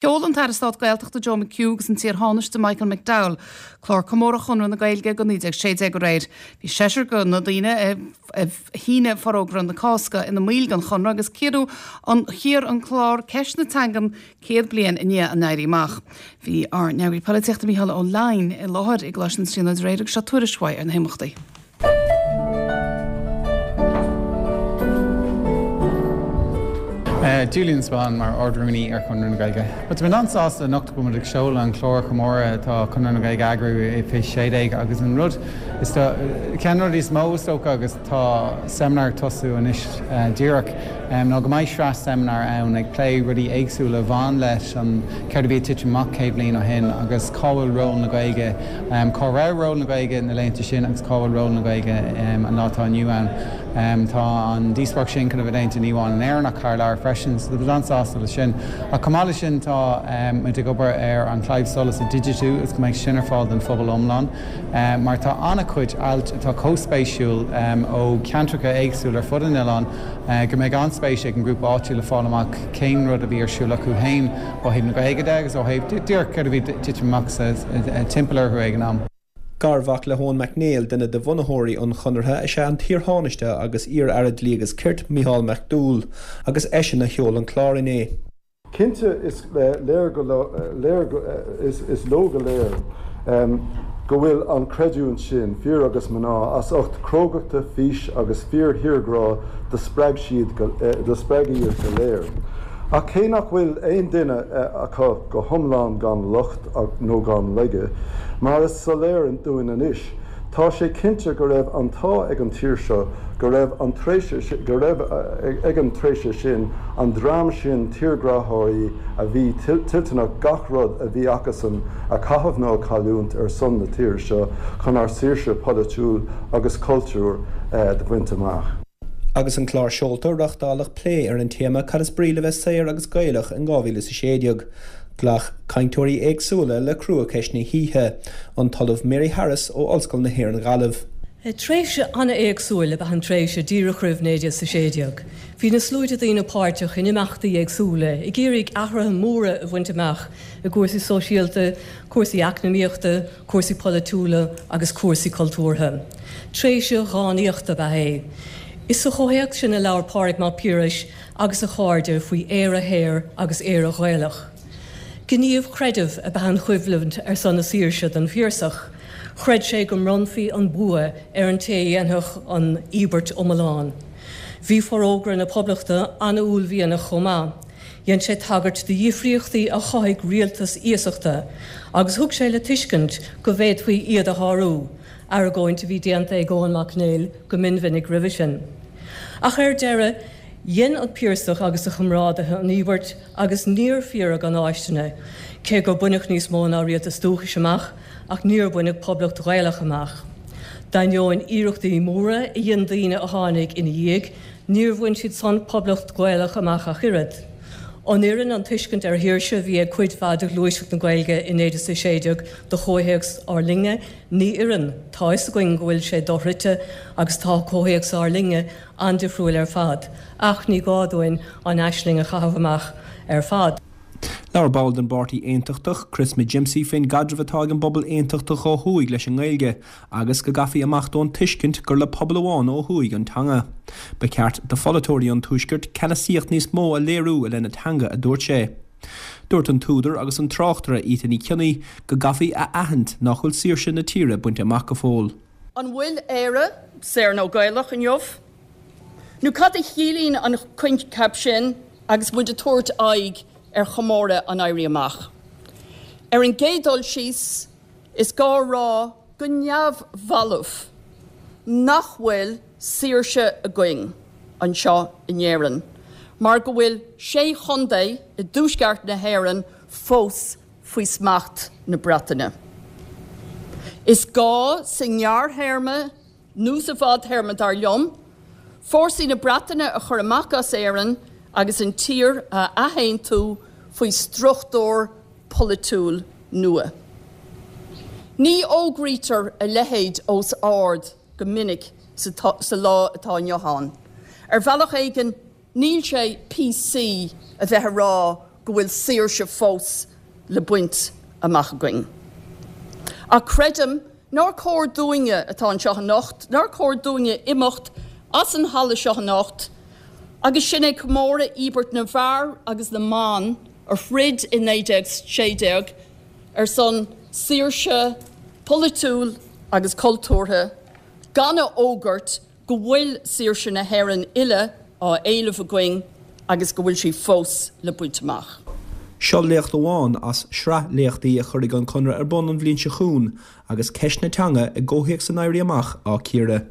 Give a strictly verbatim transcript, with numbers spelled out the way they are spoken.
Sheol an tAire Stáit Gaeltachta Joe McHugh agus an t-iar-Thánaiste Michael McDowell clár comórtha Chonradh na Gaeilge go naoi déag sé déag aréir. Bhí seisear de na daoine a shínigh Forógra na Cásca ina mbaill den Chonradh agus cíoradh an chíor an clár ceist na teangan céad bliain i ndiaidh an Éirí Amach. Bhí ár n-eagraí polaitíochta Mícheál Ó Leidhin i láthair i gColáiste na Tríonóide aréir agus seo tuairisc uaidh ar na himeachtaí. Julian Spahn mar Ard-Rúnaí ar Chonradh na Gaeilge. Tá mé an-sásta anocht go bhfuil muid ag seoladh an clár chomórtha atá Conradh na Gaeilge a eagrú i fiche sé déag agus an rud is ceann de na rudaí is mó is dócha agus tá seimineár ag tosú anois díreach ná go mbeidh sraith seimineár ann ag plé rudaí éagsúla a bhain leis an céard a bhí ag titim amach céad bliain ó shin agus cá bhfuil ról na Gaeilge, cá raibh ról na Gaeilge na laethanta sin agus cá bhfuil ról na Gaeilge an lá atá inniu ann. Tá an díospóireacht sin chun a bheith déanta ní amháin in Éirinn ach thar lear freisin, so tá an-sásta leis sin. Ach chomh maith leis sin tá muid ag obair ar an Claidheamh Soluis a digitiú agus go mbeidh sin ar fáil don phobal iomlán, mar tá an-chuid ailt atá chomh spéisiúil ó cheantracha éagsúla ar fud an oileáin go mbeidh an-spéis ag an ngrúpa áitiúil le fáil amach cén rud a bhí ar siúl acu féin ó thaobh na Gaeilge de agus ó thaobh díreach céard a bhí ag titim amach timpeall orthu ag an am. Garmhac le hEoin Mac Néill, duine de bhunaitheoirí an Chonartha, is ea an t-iarThánaiste agus iar-aire Dlí agus Cirt, Mícheál McDowell, agus eisean a sheol an clár inné. Cinnte is léir go léir is leo go léir go bhfuil an chreidiúint sin, fir agus mná, as ucht crógachta, fís agus fíor-thírghrá do spreag siad do spreag iad go léir. Ach cé nach bhfuil aon duine acu go hiomlán gan locht nó gan laige, mar is soiléir dúinn anois, tá sé cinnte go raibh an t-ádh ag an tír seo go raibh an tréimhse go raibh ag an tréimhse sin an dream sin tírghráthóirí a bhí toilteanach gach rud a bhí acusan a chaitheamh nó a chailliúint ar son na tíre seo chun ár saoirse polaitiúil agus cultúir do bhaint amach. Agus an clár seolta, reáchtáladh plé ar an téama 'Cad is brí le bheith saor agus Gaelach in dhá mhíle is a sé déag? Ghlac cainteoirí éagsúla le cruacheist na hoíche, an tOllamh Mary Harris ó Ollscoil na hÉireann Gaillimh. Tréimhse an-éagsúil ab ea an tréimhse díreach roimh naoi déag a sé déag. Bhí na sluaite daoine páirteach in imeachtaí éagsúla, ag iarraidh athruithe móra a bhaint amach i gcúrsaí sóisialta, cúrsaí eacnamaíochta, cúrsaí polaitiúla agus cúrsaí cultúrtha. Tréimhse dhánaíochta ab ea é. Is sa chomhthéacs sin a labhair Pádraig Mac Piarais agus a chairde faoi Éire shaor agus Éire Ghaelach. Gníomh creidimh ab ea an choimhlint ar son na saoirse don Phiarsach. Chreid sé go mbronnfaí an bua ar an té a dhéanfadh an íobairt iomlán. Bhí Forógra na Poblachta an-uaillmhianach chomh maith. Dhein sé tagairt do dhifríochtaí a chothaigh rialtas iasachta agus thug sé le tuiscint go bhféadfaí iad a shárú, argóint a bhí déanta ag Eoin Mac Néill go mionmhinic roimhe sin. Ach ar deireadh, dhein an Piarsach agus a chomrádaithe an íobairt agus níor fíoradh an fháistine, cé gur baineadh níos mó ná rialtas dúchais amach, ach níor baineadh poblacht Ghaelach amach. D'ainneoin iarrachtaí móra a dhein daoine a tháinig ina dhiaidh, níor bhain siad san poblacht Ghaelach amach ach oiread. An oireann an tuiscint ar shaoirse a bhí ag cuid mhaith de ghluaiseacht na Gaeilge i naoi déag a sé déag do chomhthéacs ár linne? Ní oireann. Tá a fhios againn go bhfuil sé dochreidte agus tá comhthéacs ár linne an-difriúil ar fad. Ach ní gá dúinn an aisling a chaitheamh amach ar fad. Labhair ball den bPáirtí Aontachtach, Chris McGimpsey, faoin gcaidreamh atá ag an bpobal aontachtach ó thuaidh leis an nGaeilge agus go gcaithfí imeacht ón tuiscint gur le pobal amháin ó thuaidh an teanga. Ba cheart do pholaiteoirí an Tuaiscirt ceannasaíocht níos mó a léiriú i leith na teanga, a dúirt sé. Dúirt an t-údar agus an tráchtaire Ita Ní Cionnaith go gcaithfí a aithint nach bhfuil saoirse na tíre bainte amach go fóill. An bhfuil Éire saor nó Gaelach inniu? Nó cad a chiallaíonn an coincheap sin agus muid ag tabhairt aghaidh ar chomóradh an Éirí Amach? Ar an gcéad dul síos, is gá a rá go neamhbhalbh nach bhfuil saoirse againn anseo in Éirinn mar go bhfuil sé chontae i dtuaisceart na hÉireann fós faoi smacht na Breataine. Is gá sa ngearrthéarma nó sa bhfadtéarma, dar liom, fórsaí na Breataine a chur amach as Éirinn agus an tír a athaontú faoi struchtúr polaitiúil nua. Ní fhógraítear a leithéid os ard go minic sa lá atá inniu ann. Ar bhealach éigin, níl sé PC a bheith ag rá go go bhfuil saoirse fós le baint amach againn. Ach creidim nár chóir dúinne atá anseo anocht, nár chóir dúinne imeacht as an halla seo anocht, agus sinn ag comóradh íobairt na bhfear agus na mban a throid i naoi déag sé déag ar son saoirse polaitiúil agus cultúrtha, gan a fhógairt go bhfuil saoirse na hÉireann uile á éileamh againn agus go bhfuil sí fós le baint amach. Seo léacht amháin as sraith léachtaí a chuirfidh an Conradh ar bun an bhliain seo chugainn agus ceist na teanga i gcomhthéacs an Éirí Amach á cíoradh.